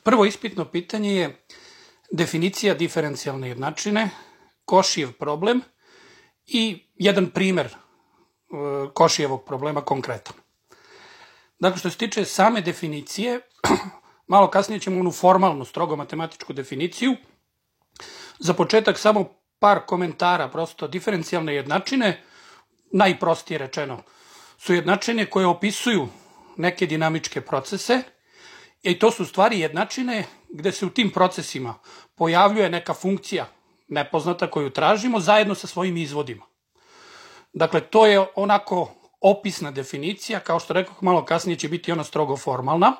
Prvo ispitno pitanje je definicija diferencijalne jednačine, Košijev problem i jedan primer Košijevog problema konkretan. Dakle, što se tiče same definicije, malo kasnije ćemo onu formalnu, strogo matematičku definiciju. Za početak samo par komentara, prosto diferencijalne jednačine, najprostije rečeno, su jednačine koje opisuju neke dinamičke procese i to su stvari jednačine gde se u tim procesima pojavljuje neka funkcija nepoznata koju tražimo zajedno sa svojim izvodima. Dakle, to je onako opisna definicija, kao što rekao, malo kasnije će biti ona strogo formalna,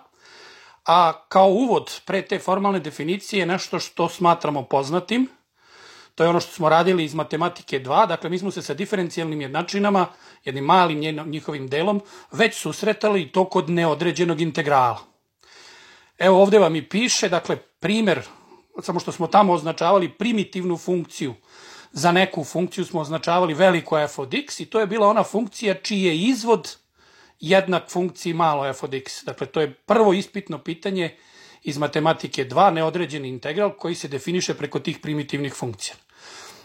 a kao uvod pre te formalne definicije je nešto što smatramo poznatim. To je ono što smo radili iz matematike 2, dakle mi smo se sa diferencijalnim jednačinama, jednim malim njihovim delom, već susretali i to kod neodređenog integrala. Evo ovde vam i piše, dakle primer, samo što smo tamo označavali primitivnu funkciju, za neku funkciju smo označavali veliko f od x i to je bila ona funkcija čiji je izvod jednak funkciji malo f od x. Dakle, to je prvo ispitno pitanje iz matematike 2, neodređeni integral koji se definiše preko tih primitivnih funkcija.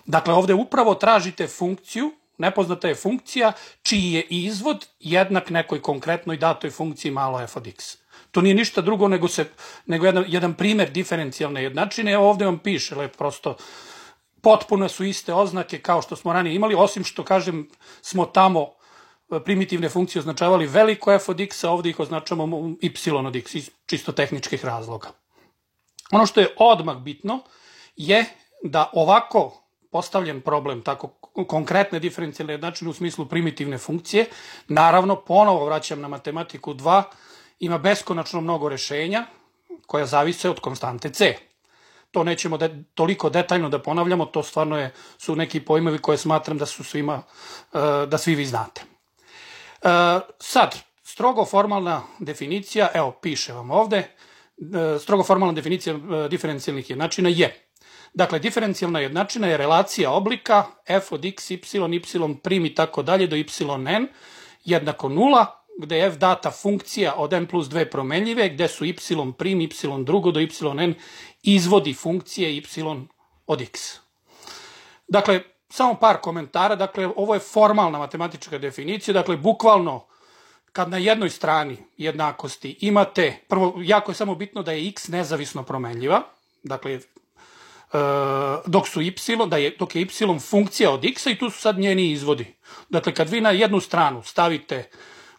Dakle, ovde upravo tražite funkciju, nepoznata je funkcija, čiji je izvod jednak nekoj konkretnoj datoj funkciji malo f od x. To nije ništa drugo nego jedan primer diferencijalne jednačine. Evo ovde vam piše, prosto potpuno su iste oznake kao što smo ranije imali, osim što, kažem, smo tamo primitivne funkcije označavali veliko f od x, a ovde ih označavamo y od x iz čisto tehničkih razloga. Ono što je odmah bitno je da ovako postavljen problem, tako konkretne diferencijalne jednačine u smislu primitivne funkcije, naravno, ponovo vraćam na matematiku 2, ima beskonačno mnogo rešenja koja zavise od konstante c. To nećemo toliko detaljno da ponavljamo, to stvarno su neki pojmovi koje smatram da su da svi vi znate. Sad, strogo formalna definicija, evo piše vam ovde, strogo formalna definicija diferencijalnih jednačina je, dakle, diferencijalna jednačina je relacija oblika f od x, y, y prim i tako dalje do yn jednako 0, gde je f data funkcija od n plus 2 promenljive, gde su y prim, y drugo do yn izvodi funkcije y od x. Dakle, samo par komentara, dakle, ovo je formalna matematička definicija, dakle, bukvalno, kad na jednoj strani jednakosti imate, prvo, jako je samo bitno da je x nezavisno promenljiva, dakle, dok je y funkcija od x-a i tu su sad njeni izvodi. Dakle, kad vi na jednu stranu stavite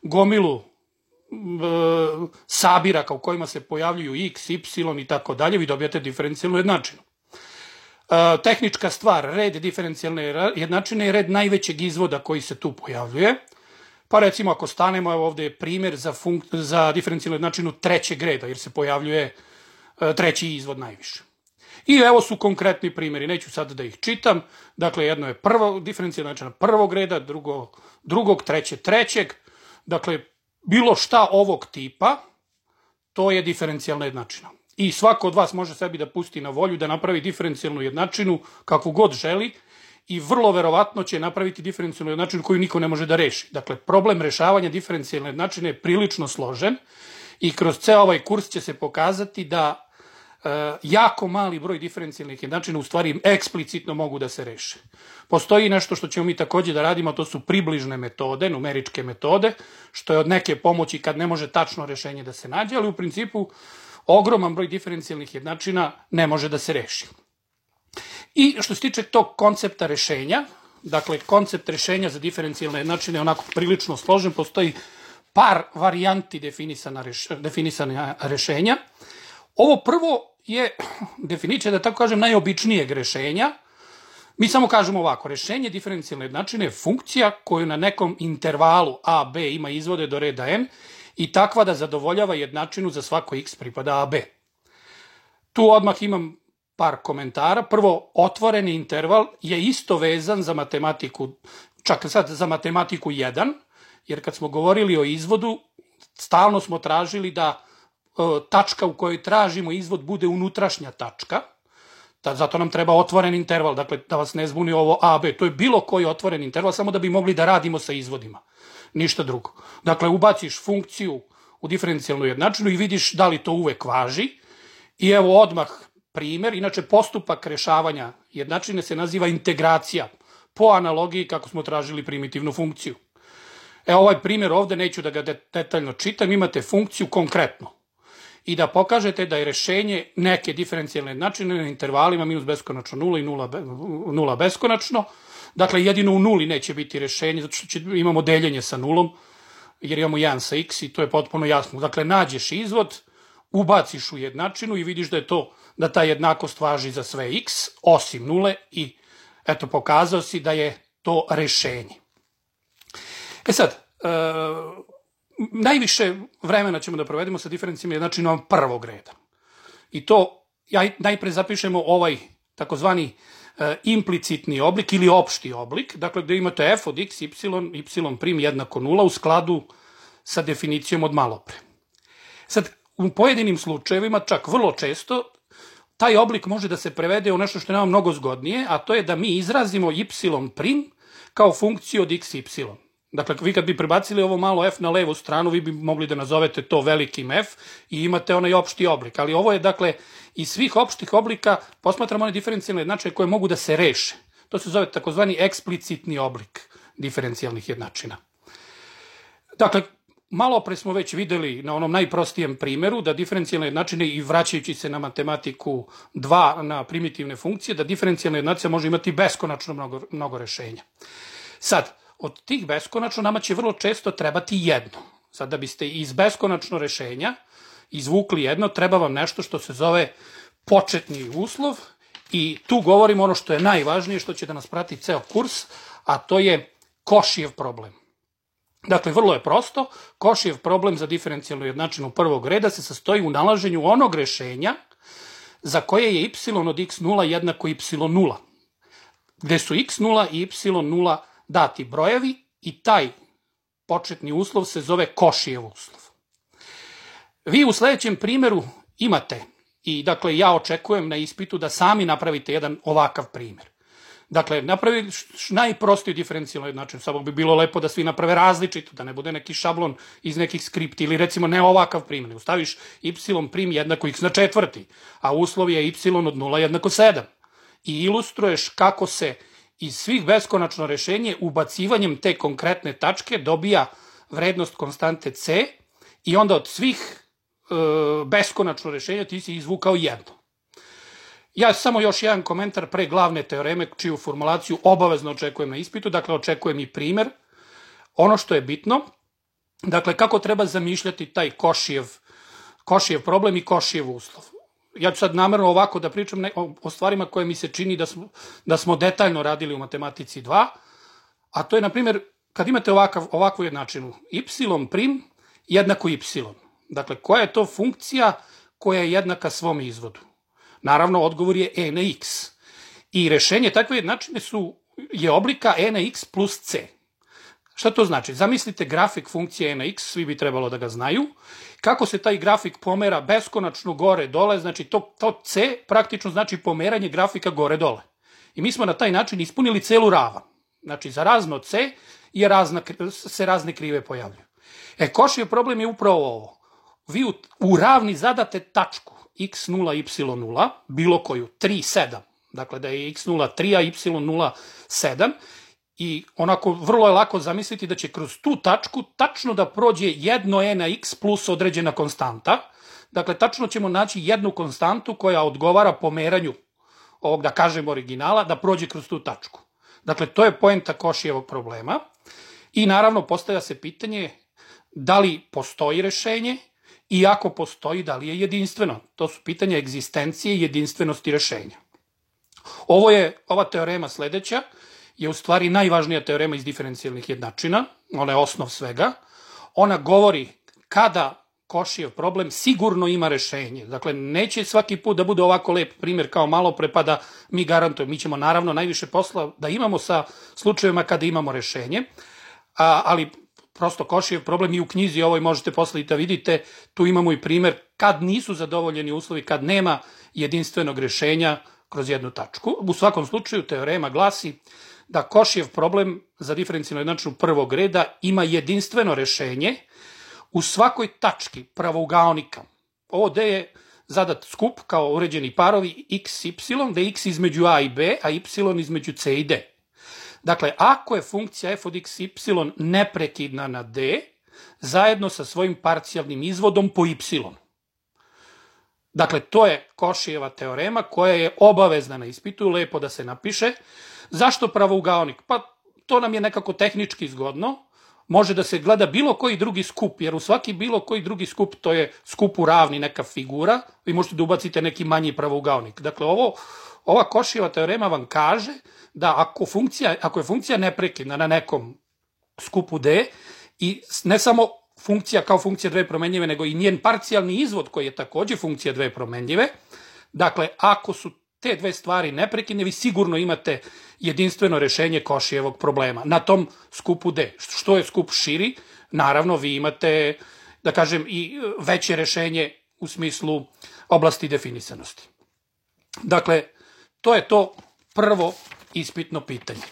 gomilu sabiraka u kojima se pojavljuju x, y i tako dalje, vi dobijate diferencijalnu jednačinu. Tehnička stvar, red diferencijalne jednačine je red najvećeg izvoda koji se tu pojavljuje. Pa recimo ako stanemo, evo ovde je primer za diferencijalnu jednačinu trećeg reda, jer se pojavljuje treći izvod najviše. I evo su konkretni primjeri, neću sad da ih čitam. Dakle, jedno je diferencijalna jednačina prvog reda, drugog, trećeg. Dakle, bilo šta ovog tipa, to je diferencijalna jednačina. I svako od vas može sebi da pusti na volju da napravi diferencijalnu jednačinu kakvu god želi i vrlo verovatno će napraviti diferencijalnu jednačinu koju niko ne može da reši. Dakle, problem rešavanja diferencijalne jednačine je prilično složen i kroz ceo ovaj kurs će se pokazati da jako mali broj diferencijalnih jednačina u stvari eksplicitno mogu da se reše. Postoji nešto što ćemo mi takođe da radimo, to su približne metode, numeričke metode, što je od neke pomoći kad ne može tačno rešenje da se nađe, ali u principu ogroman broj diferencijalnih jednačina ne može da se reši. I što se tiče tog koncepta rešenja, dakle, koncept rešenja za diferencijalne jednačine je onako prilično složen, postoji par varijanti definisana rešenja. Ovo prvo je definicija, da tako kažem, najobičnijeg rešenja. Mi samo kažemo ovako, rešenje diferencijalne jednačine je funkcija koju na nekom intervalu a, b ima izvode do reda n i takva da zadovoljava jednačinu za svako x pripada a, b. Tu odmah imam par komentara. Prvo, otvoreni interval je isto vezan za matematiku, čak sad za matematiku 1, jer kad smo govorili o izvodu, stalno smo tražili da tačka u kojoj tražimo izvod bude unutrašnja tačka, zato nam treba otvoren interval, dakle da vas ne zbuni ovo a, b, to je bilo koji otvoren interval, samo da bi mogli da radimo sa izvodima, ništa drugo. Dakle, ubaciš funkciju u diferencijalnu jednačinu i vidiš da li to uvek važi I evo odmah primer, inače postupak rešavanja jednačine se naziva integracija, po analogiji kako smo tražili primitivnu funkciju. Ovaj primer ovde, neću da ga detaljno čitam, imate funkciju konkretno i da pokažete da je rešenje neke diferencijalne jednačine na intervalima minus beskonačno 0 i 0 beskonačno. Dakle, jedino u nuli neće biti rešenje, zato što imamo deljenje sa nulom, jer imamo 1 sa x i to je potpuno jasno. Dakle, nađeš izvod, ubaciš u jednačinu i vidiš da ta jednakost važi za sve x, osim nule i eto, pokazao si da je to rešenje. Sad, najviše vremena ćemo da provedemo sa diferencijalnim jednačinama prvog reda. I to, najpre zapišemo ovaj takozvani implicitni oblik ili opšti oblik, dakle gde imate f od x, y prim jednako 0 u skladu sa definicijom od malopre. Sad, u pojedinim slučajevima, čak vrlo često, taj oblik može da se prevede u nešto što je nama mnogo zgodnije, a to je da mi izrazimo y prim kao funkciju od x, y. Dakle, vi kad bi prebacili ovo malo f na levu stranu, vi bi mogli da nazovete to velikim f i imate onaj opšti oblik. Ali ovo je, dakle, iz svih opštih oblika posmatramo one diferencijalne jednačine koje mogu da se reše. To se zove takozvani eksplicitni oblik diferencijalnih jednačina. Dakle, malo pre smo već videli na onom najprostijem primeru da diferencijalne jednačine, i vraćajući se na matematiku 2 na primitivne funkcije, da diferencijalna jednačina može imati beskonačno mnogo rešenja. Sad, od tih beskonačno nama će vrlo često trebati jedno. Sad, da biste iz beskonačno rešenja izvukli jedno, treba vam nešto što se zove početni uslov i tu govorimo ono što je najvažnije, što će da nas prati ceo kurs, a to je Cauchyjev problem. Dakle, vrlo je prosto, Cauchyjev problem za diferencijalnu jednačinu prvog reda se sastoji u nalaženju onog rešenja za koje je y od x0 jednako y0, gde su x0 i y0 dati brojevi i taj početni uslov se zove Cauchyjev uslov. Vi u sledećem primeru imate, i dakle ja očekujem na ispitu da sami napravite jedan ovakav primer. Dakle, napravi najprostiju diferencijalnu jednačinu, samo bi bilo lepo da svi naprave različito, da ne bude neki šablon iz nekih skripti ili recimo ne ovakav primer. Ustaviš y prim jednako x na četvrti, a uslov je y od 0 jednako 7. I ilustruješ kako se iz svih beskonačno rešenje ubacivanjem te konkretne tačke dobija vrednost konstante c i onda od svih beskonačno rešenja ti si izvukao jedno. Ja samo još jedan komentar pre glavne teoreme, čiju formulaciju obavezno očekujem na ispitu, dakle očekujem i primer. Ono što je bitno, dakle kako treba zamišljati taj Cauchyjev problem i Cauchyjev uslov. Ja ću sad namerno ovako da pričam o stvarima koje mi se čini da smo detaljno radili u matematici 2, a to je, na primjer, kad imate ovakvu jednačinu, y prim jednako y. Dakle, koja je to funkcija koja je jednaka svom izvodu? Naravno, odgovor je e na x. I rešenje takve jednačine je oblika e na x plus c. Šta to znači? Zamislite grafik funkcije e na x, svi bi trebalo da ga znaju. Kako se taj grafik pomera beskonačno gore-dole, znači to c praktično znači pomeranje grafika gore-dole. I mi smo na taj način ispunili celu ravan. Znači, za razno c se razne krive pojavljuju. Cauchyjev problem je upravo ovo. Vi u ravni zadate tačku x0, y0, bilo koju, 3, 7. Dakle, da je x0 3, a y0 7. I onako vrlo je lako zamisliti da će kroz tu tačku tačno da prođe jedno e na x plus određena konstanta. Dakle, tačno ćemo naći jednu konstantu koja odgovara pomeranju ovog, da kažem, originala, da prođe kroz tu tačku. Dakle, to je poenta Cauchyjevog problema. I naravno, postavlja se pitanje da li postoji rešenje i ako postoji, da li je jedinstveno. To su pitanja egzistencije i jedinstvenosti rešenja. Ova teorema sledeća je u stvari najvažnija teorema iz diferencijalnih jednačina, ona je osnov svega. Ona govori kada Cauchyjev problem sigurno ima rešenje. Dakle, neće svaki put da bude ovako lep primjer kao malo pre pa da mi garantujemo. Mi ćemo naravno najviše posla da imamo sa slučajevima kada imamo rešenje, ali prosto Cauchyjev problem i u knjizi ovoj možete posle i da vidite, tu imamo i primer kad nisu zadovoljeni uslovi, kad nema jedinstvenog rešenja kroz jednu tačku. U svakom slučaju teorema glasi da Cauchyjev problem za diferencijalnu jednačinu prvog reda ima jedinstveno rešenje u svakoj tački pravougaonika. Ovo D je zadat skup kao uređeni parovi x, y, da je x između a i b, a y između c i d. Dakle, ako je funkcija f od x, y neprekidna na d, zajedno sa svojim parcijalnim izvodom po y. Dakle, to je Košijeva teorema koja je obavezna na ispitu, lepo da se napiše. Zašto pravougaonik? Pa to nam je nekako tehnički zgodno. Može da se gleda bilo koji drugi skup, jer u svaki bilo koji drugi skup to je skup u ravni neka figura, vi možete da ubacite neki manji pravougaonik. Dakle, ova Košijeva teorema vam kaže da ako je funkcija neprekidna na nekom skupu d i ne samo funkcija kao funkcija dve promenljive, nego i njen parcijalni izvod koji je takođe funkcija dve promenljive, dakle, ako su te dve stvari neprekidne, vi sigurno imate jedinstveno rešenje Košijevog problema na tom skupu D. Što je skup širi, naravno vi imate, da kažem, i veće rešenje u smislu oblasti definisanosti. Dakle, to je to prvo ispitno pitanje.